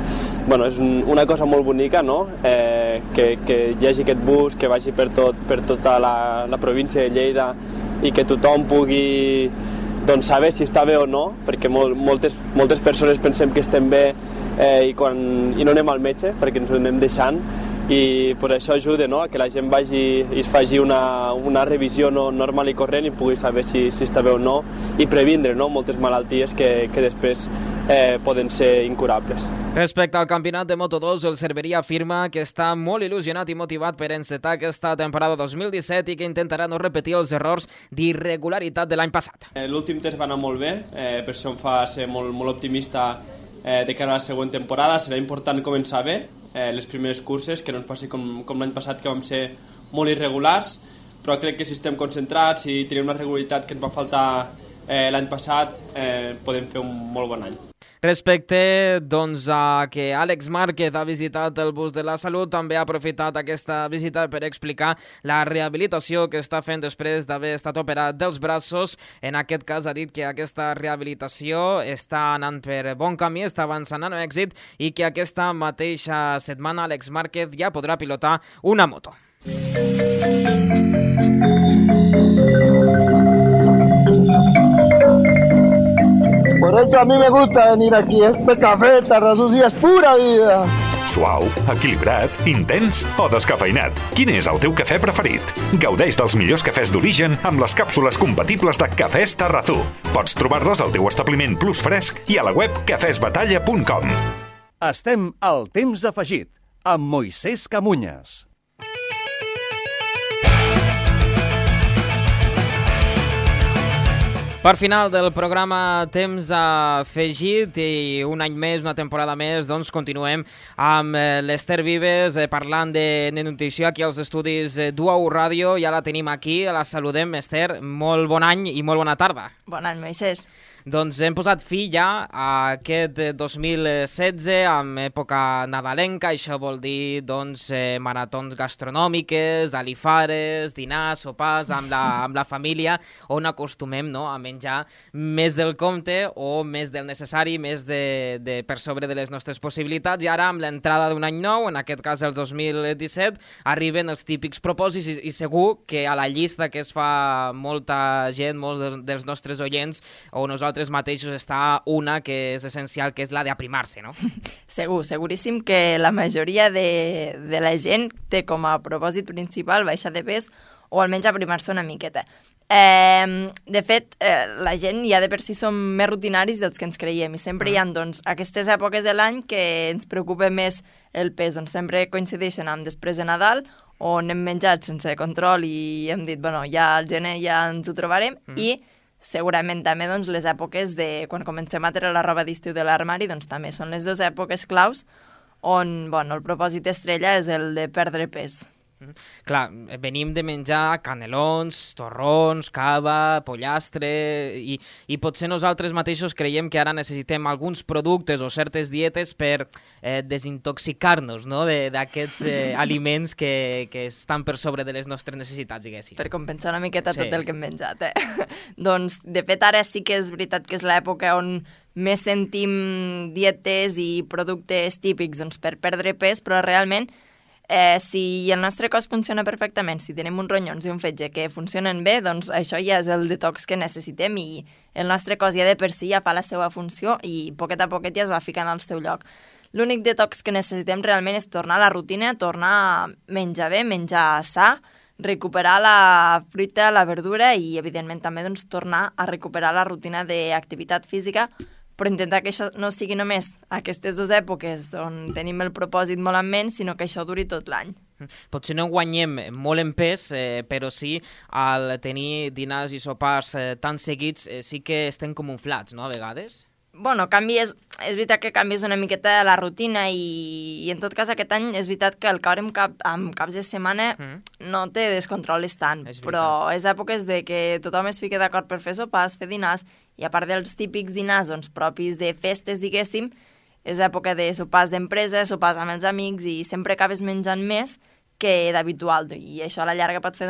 cosa molt bonica, no? Que hi hagi aquest bus que vagi per tota la província de Lleida i que tothom pugui saber si està bé o no, perquè moltes persones pensem que estem bé i no anem al metge perquè ens ho anem deixant, i per això ajuda, no?, a que la gent vagi i es faci una revisió normal i corrent i pugui saber si està bé o no i previndre, no?, moltes malalties que després poden ser incurables. Respecte al campionat de Moto2, el Cerveria afirma que està molt il·lusionat i motivat per encetar aquesta temporada 2017 i que intentarà no repetir els errors d'irregularitat de l'any passat. L'últim test va anar molt bé, per això em fa ser molt optimista de cara a la següent temporada. Serà important començar bé les primeres curses, que no ens passi com l'any passat, que vam ser molt irregulars, però crec que si estem concentrats i tenim una regularitat que ens va faltar l'any passat, podem fer un molt bon any. Respecte doncs, a que Àlex Márquez ha visitat el bus de la salut, també ha aprofitat aquesta visita per explicar la rehabilitació que està fent després d'haver estat operat dels braços. En aquest cas ha dit que aquesta rehabilitació està anant per bon camí, està avançant amb èxit i que aquesta mateixa setmana Àlex Márquez ja podrà pilotar una moto. Por eso a mí me gusta venir aquí. Este café Tarrasús es pura vida. Suau, equilibrat, intens o descafeinat? Quin és el teu cafè preferit? Gaudeix dels millors cafès d'origen amb les càpsules compatibles de Cafès Tarrazú. Pots trobar-les al teu establiment Plus Fresc i a la web cafesbatalla.com. Estem al temps afegit amb Moisés Camunyes. Per final del programa Temps afegit i un any més, una temporada més, doncs continuem amb l'Ester Vives parlant de nutrició aquí als estudis d'UAU Ràdio. Ja la tenim aquí, la saludem. Ester, molt bon any i molt bona tarda. Bon any, Moisés. Doncs hem posat fi ja a aquest 2016 amb època nadalenca. Això vol dir doncs, maratons gastronòmiques, alifares, dinars, sopars amb la família, on acostumem, no?, a menjar més del compte o més del necessari, més per sobre de les nostres possibilitats. I ara, amb l'entrada d'un any nou, en aquest cas el 2017, arriben els típics propòsits i segur que a la llista que es fa molta gent, molts dels nostres oients o nosaltres mateixos, està una que és essencial, que és la d'aprimar-se, no? Seguríssim que la majoria de la gent té com a propòsit principal baixar de pes o almenys aprimar-se una miqueta. De fet, la gent ja de per si som més rutinaris dels que ens creiem i sempre hi ha doncs, aquestes èpoques de l'any que ens preocupa més el pes, on sempre coincideixen amb després de Nadal, on hem menjat sense control i hem dit, bueno, ja al gener ja ens ho trobarem, i segurament també doncs, les èpoques de quan comencem a treure la roba d'estiu de l'armari, doncs també són les dues èpoques claus on el propòsit estrella és el de perdre pes. Clar, venim de menjar canelons, torrons, cava, pollastre i potser nosaltres mateixos creiem que ara necessitem alguns productes o certes dietes per desintoxicar-nos, no?, d'aquests aliments que estan per sobre de les nostres necessitats, diguéssim. Per compensar una miqueta tot el que hem menjat, Doncs, de fet, ara sí que és veritat que és l'època on més sentim dietes i productes típics per perdre pes, però realment si el nostre cos funciona perfectament, si tenim uns ronyons i un fetge que funcionen bé, doncs això ja és el detox que necessitem i el nostre cos ja de per si ja fa la seva funció i poquet a poquet ja es va ficant al seu lloc. L'únic detox que necessitem realment és tornar a la rutina, tornar a menjar bé, menjar sa, recuperar la fruita, la verdura i, evidentment, també doncs, tornar a recuperar la rutina d'activitat física, però intentar que això no sigui només aquestes dues èpoques on tenim el propòsit molt en ment, sinó que això duri tot l'any. Potser no guanyem molt en pes, però sí, al tenir dinars i sopars tan seguits, sí que estem com inflats, no?, a vegades. Bueno, és veritat que canvies una miqueta la rutina i en tot cas aquest any és veritat que el caure amb caps de setmana no te descontroles tant, però és èpoques de que tothom es fica d'acord per fer sopars, fer dinars, i a part dels típics dinars propis de festes, diguéssim, és època de sopars d'empresa, sopars amb els amics i sempre acabes menjant més que d'habitual i això a la llarga pot fer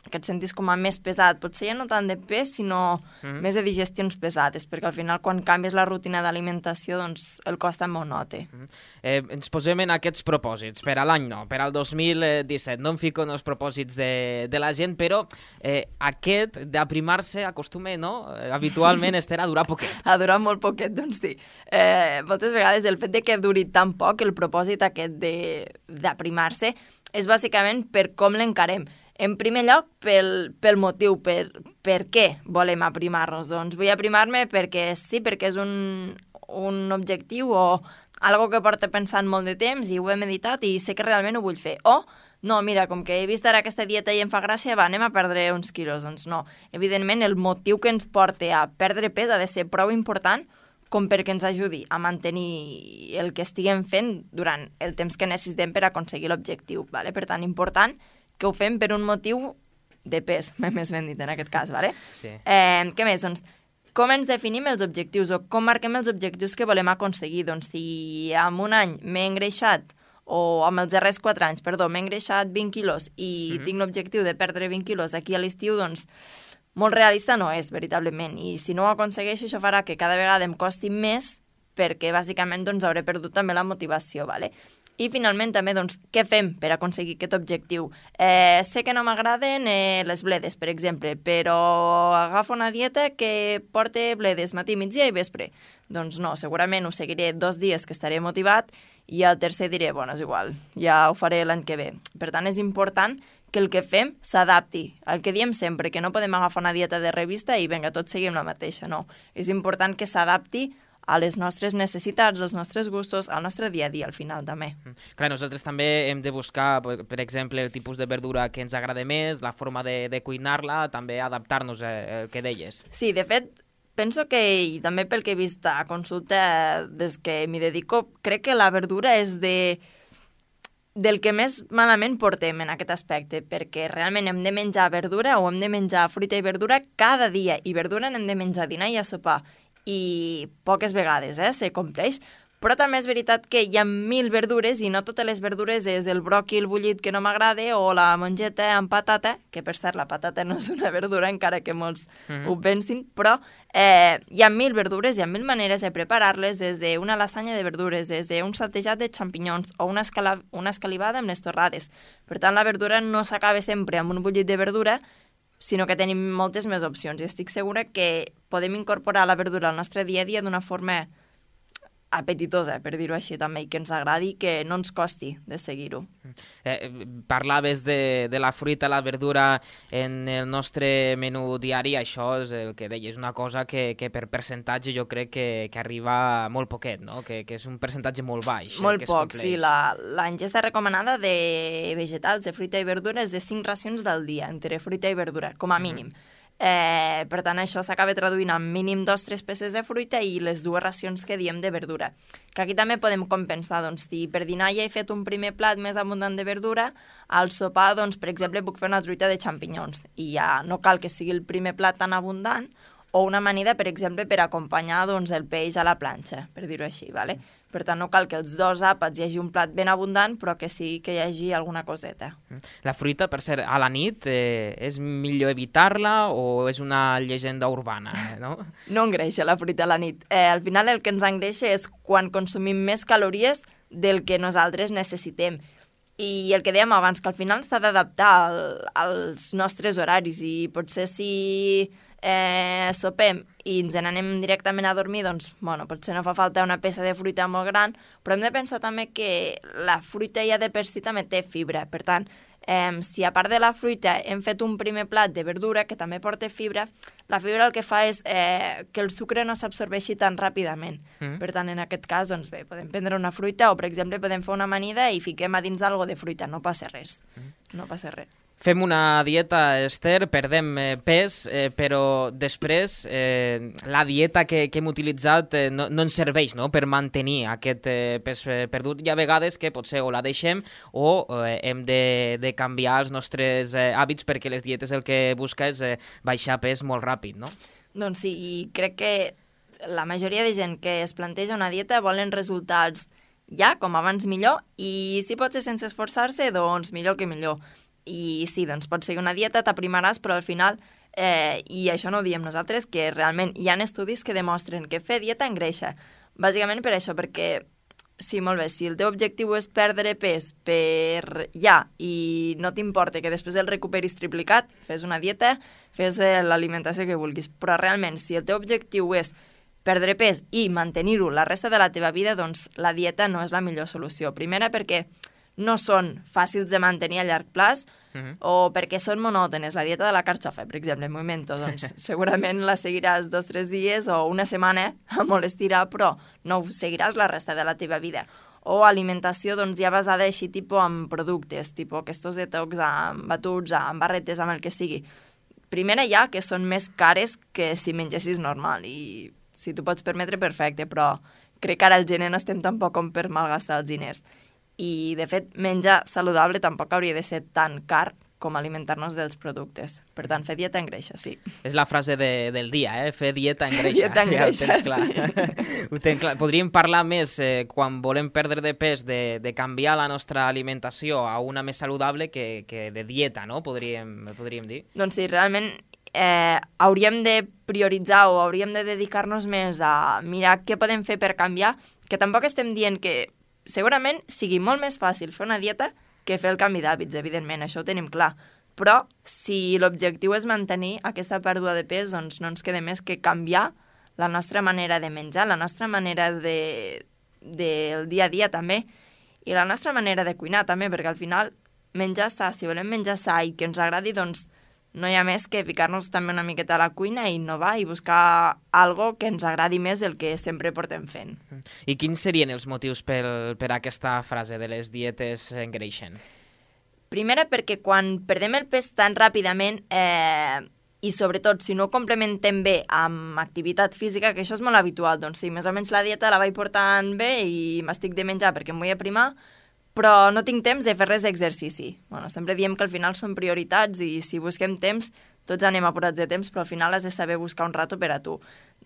que et sentis com a més pesat. Potser ja no tant de pes, sinó més de digestions pesades, perquè al final quan canvies la rutina d'alimentació doncs el cos també ho nota. Ens posem en aquests propòsits, per a l'any no, per al 2017. No em fico en els propòsits de la gent, però aquest d'aprimar-se acostuma, no? Habitualment, Esther, a durar poquet. A durar molt poquet, doncs sí. Moltes vegades el fet de que duri tan poc, el propòsit aquest d'aprimar-se, és bàsicament per com l'encarem. En primer lloc, pel motiu, per què volem aprimar-nos. Doncs vull aprimar-me perquè sí, perquè és un objectiu o algo que porto pensant molt de temps i ho he meditat i sé que realment ho vull fer. O, no, mira, com que he vist ara aquesta dieta i em fa gràcia, anem a perdre uns quilos. Doncs no. Evidentment, el motiu que ens porta a perdre pes ha de ser prou important com perquè ens ajudi a mantenir el que estiguem fent durant el temps que necessitem per aconseguir l'objectiu. Vale? Per tant, important que ho fem per un motiu de pes, més ben dit en aquest cas, ¿vale? Sí. Què més? Doncs, com ens definim els objectius o com marquem els objectius que volem aconseguir? Doncs si en un any m'he engreixat, o amb els darrers 4 anys, perdó, m'he engreixat 20 quilos i tinc l'objectiu de perdre 20 quilos aquí a l'estiu, doncs molt realista no és, veritablement. I si no ho aconsegueixo, això farà que cada vegada em costi més perquè bàsicament doncs, hauré perdut també la motivació, ¿vale? I finalment també, doncs, què fem per aconseguir aquest objectiu? Sé que no m'agraden les bledes, per exemple, però agafo una dieta que porta bledes matí, migdia i vespre. Doncs no, segurament ho seguiré 2 dies que estaré motivat i al tercer diré, bueno, és igual, ja ho faré l'any que ve. Per tant, és important que el que fem s'adapti. El que diem sempre, que no podem agafar una dieta de revista i vinga, tots seguim la mateixa, no. És important que s'adapti a les nostres necessitats, als nostres gustos, al nostre dia a dia, al final, també. Clar, nosaltres també hem de buscar, per exemple, el tipus de verdura que ens agrada més, la forma de cuinar-la, també adaptar-nos al que deies. Sí, de fet, penso que, i també pel que he vist a consulta des que m'hi dedico, crec que la verdura és del que més malament portem en aquest aspecte, perquè realment hem de menjar verdura o hem de menjar fruita i verdura cada dia, i verdura n'hem de menjar a dinar i a sopar, i poques vegades se compleix, però també és veritat que hi ha 1000 verdures i no totes les verdures és el bròquil bullit que no m'agrada o la mongeta amb patata, que per cert la patata no és una verdura encara que molts ho pensin, però hi ha 1000 verdures, hi ha 1000 maneres de preparar-les, des d'una lasanya de verdures, des d'un saltejat de xampinyons o una escalivada amb les torrades. Per tant, la verdura no s'acaba sempre amb un bullit de verdura, sinó que tenim moltes més opcions i estic segura que podem incorporar la verdura al nostre dia a dia d'una forma apetitosa, per dir-ho així també, i que ens agradi i que no ens costi de seguir-ho. Parlaves de la fruita, la verdura en el nostre menú diari, això és el que deies, una cosa que per percentatge jo crec que arriba molt poquet, no? Que és un percentatge molt baix. Molt poc, sí. La ingesta recomanada de vegetals, de fruita i verdura és de 5 racions del dia, entre fruita i verdura, com a mínim. Per tant, això s'acaba traduint en mínim 2-3 peces de fruita i les 2 racions que diem de verdura. Que aquí també podem compensar, doncs, si per dinar ja he fet un primer plat més abundant de verdura, al sopar, doncs, per exemple, puc fer una truita de xampinyons i ja no cal que sigui el primer plat tan abundant, o una amanida, per exemple, per acompanyar doncs, el peix a la planxa, per dir-ho així, ¿vale? Per tant, no cal que els 2 àpats hi hagi un plat ben abundant, però que sí que hi hagi alguna coseta. La fruita, per cert, a la nit, és millor evitar-la o és una llegenda urbana, no? No engreixa la fruita a la nit. Al final el que ens engreixa és quan consumim més calories del que nosaltres necessitem. I el que dèiem abans, que al final s'ha d'adaptar als nostres horaris i potser si sopem i ens n'anem directament a dormir, doncs, bueno, potser no fa falta una peça de fruita molt gran, però hem de pensar també que la fruita ja de per si també té fibra. Per tant, si a part de la fruita hem fet un primer plat de verdura que també porta fibra, la fibra el que fa és que el sucre no s'absorbeixi tan ràpidament. Per tant, en aquest cas, doncs bé, podem prendre una fruita o, per exemple, podem fer una amanida i fiquem a dins alguna de fruita. No passa res. No passa res. Fem una dieta, Esther, perdem pes, però després la dieta que hem utilitzat no ens serveix, no?, per mantenir aquest pes perdut. Hi ha vegades que potser o la deixem o hem de canviar els nostres hàbits perquè les dietes el que busca és baixar pes molt ràpid, no? Doncs sí, i crec que la majoria de gent que es planteja una dieta volen resultats ja, com abans millor, i si pot ser sense esforçar-se, doncs millor que millor. I sí, doncs pots seguir una dieta, t'aprimaràs, però al final, i això no ho diem nosaltres, que realment hi ha estudis que demostren que fer dieta engreixa. Bàsicament per això, perquè sí, molt bé, si el teu objectiu és perdre pes per ja i no t'importa que després el recuperis triplicat, fes una dieta, fes l'alimentació que vulguis. Però realment, si el teu objectiu és perdre pes i mantenir-ho la resta de la teva vida, doncs la dieta no és la millor solució. Primera, perquè no són fàcils de mantenir a llarg plaç o perquè són monòtones. La dieta de la carxofa, per exemple, en Movimento, doncs segurament la seguiràs 2 o 3 dies o una setmana a molt estirar, però no ho seguiràs la resta de la teva vida. O alimentació doncs, ja basada així tipus en productes, tipus aquests detox amb batuts, amb barretes, amb el que sigui. Primera ja, que són més cares que si mengessis normal i si t'ho pots permetre, perfecte, però crec que ara el gener no estem tampoc com per malgastar els diners. I, de fet, menjar saludable tampoc hauria de ser tan car com alimentar-nos dels productes. Per tant, fer dieta engreixa, sí. És la frase del dia, fer dieta engreixa. Dieta engreixa, ja ho tens clar. Podríem parlar més, quan volem perdre de pes, de canviar la nostra alimentació a una més saludable que de dieta, no? Podríem dir. Doncs sí, realment hauríem de prioritzar o hauríem de dedicar-nos més a mirar què podem fer per canviar, que tampoc estem dient que segurament sigui molt més fàcil fer una dieta que fer el canvi d'hàbits, evidentment, això ho tenim clar. Però si l'objectiu és mantenir aquesta pèrdua de pes, doncs no ens queda més que canviar la nostra manera de menjar, la nostra manera del dia a dia també, i la nostra manera de cuinar també, perquè al final menjar sa, si volem menjar sa i que ens agradi, doncs no hi ha més que ficar-nos també una miqueta a la cuina i innovar i buscar algo que ens agradi més del que sempre portem fent. I quins serien els motius per aquesta frase de les dietes engreixen? Primera, perquè quan perdem el pes tan ràpidament i sobretot si no ho complementem bé amb activitat física, que això és molt habitual, doncs sí, més o menys la dieta la vaig portant bé i m'estic de menjar perquè em vull aprimar, però no tinc temps de fer res d'exercici. Bueno, sempre diem que al final són prioritats i si busquem temps, tots anem apurats de temps, però al final has de saber buscar un rato per a tu.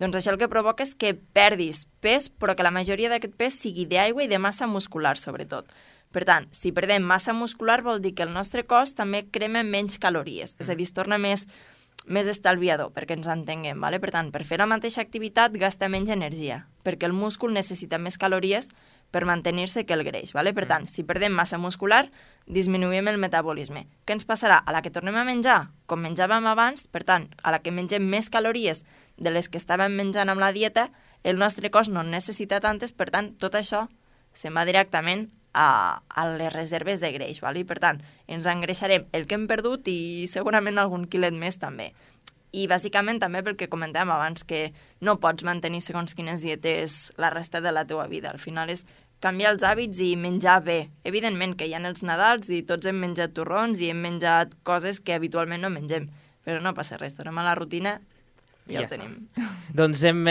Doncs això el que provoca és que perdis pes, però que la majoria d'aquest pes sigui d'aigua i de massa muscular, sobretot. Per tant, si perdem massa muscular vol dir que el nostre cos també crema menys calories, és a dir, es torna més estalviador, perquè ens entenguem. ¿vale? Per tant, per fer la mateixa activitat gasta menys energia, perquè el múscul necessita més calories per mantenir-se que el greix. ¿vale? Per tant, si perdem massa muscular, disminuïm el metabolisme. Què ens passarà? A la que tornem a menjar, com menjàvem abans, per tant, a la que mengem més calories de les que estàvem menjant amb la dieta, el nostre cos no en necessita tantes, per tant, tot això se'n va directament a les reserves de greix. ¿vale? I per tant, ens engreixarem el que hem perdut i segurament algun quilet més també. I bàsicament també pel que comentàvem abans, que no pots mantenir segons quines dietes la resta de la teua vida. Al final és canviar els hàbits i menjar bé. Evidentment que hi ha els Nadals i tots hem menjat torrons i hem menjat coses que habitualment no mengem, però no passa res, tornem a la rutina i ja ho tenim. Doncs hem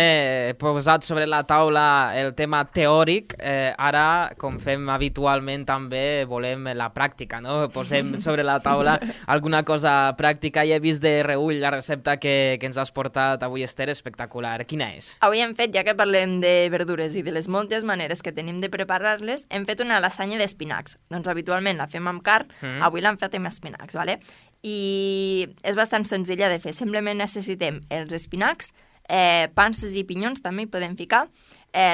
posat sobre la taula el tema teòric. Ara, com fem habitualment, també volem la pràctica, no? Posem sobre la taula alguna cosa pràctica. I he vist de reull la recepta que ens has portat avui, Esther, espectacular. Quina és? Avui hem fet, ja que parlem de verdures i de les moltes maneres que tenim de preparar-les, hem fet una lasanya d'espinacs. Doncs habitualment la fem amb carn, avui l'hem fet amb espinacs, ¿vale? I és bastant senzilla de fer. Simplement necessitem els espinacs, panses i pinyons també hi podem ficar,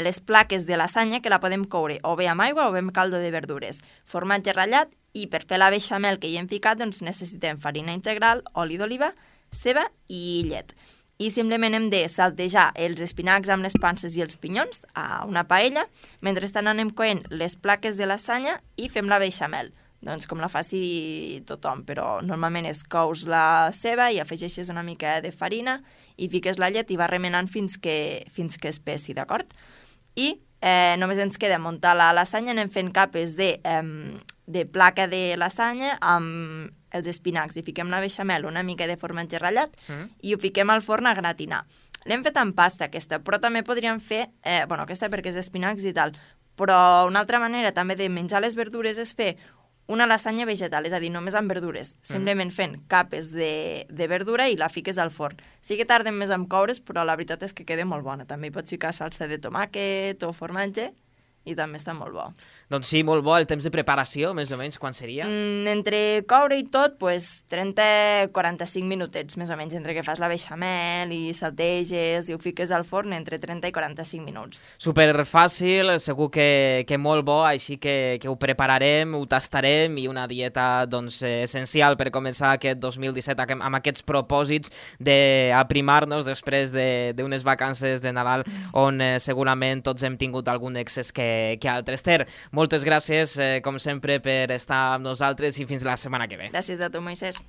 les plaques de lasanya que la podem coure o bé amb aigua o bé amb caldo de verdures, formatge ratllat, i per fer la beixamel que hi hem ficat doncs necessitem farina integral, oli d'oliva, ceba i llet. I simplement hem de saltejar els espinacs amb les panses i els pinyons a una paella, mentrestant anem coent les plaques de lasanya i fem la beixamel. Doncs com la faci tothom, però normalment es cous la ceba i afegeixes una mica de farina i fiques la llet i va remenant fins que espessi, d'acord? I només ens queda muntar la lasanya, anem fent capes de placa de lasanya amb els espinacs i fiquem la beixamel, una mica de formatge ratllat i ho fiquem al forn a gratinar. L'hem fet amb pasta aquesta, però també podríem fer, aquesta perquè és d'espinacs i tal, però una altra manera també de menjar les verdures és fer una lasanya vegetal, és a dir, només amb verdures, simplement fent capes de verdura i la fiques al forn. Sí que tarden més en coure's, però la veritat és que queda molt bona. També hi pots ficar salsa de tomàquet o formatge i també està molt bo. Doncs sí, molt bo. El temps de preparació, més o menys, quan seria? Entre coure i tot, 30-45 minutets, més o menys, entre que fas la beixamel i salteges i ho fiques al forn, entre 30 i 45 minuts. Superfàcil, segur que molt bo, així que ho prepararem, ho tastarem, i una dieta essencial per començar aquest 2017 amb aquests propòsits d'aprimar-nos després d'unes vacances de Nadal on segurament tots hem tingut algun excés que altres. Ter, moltes gràcies, com sempre, per estar amb nosaltres i fins la setmana que ve. Gràcies a tu, Moisés.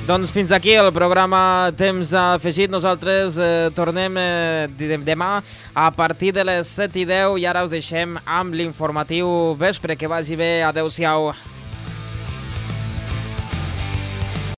Doncs fins aquí el programa Temps Afegit. Nosaltres tornem demà a partir de les 7:10 i ara us deixem amb l'informatiu vespre. Que vagi bé. Adéu-siau.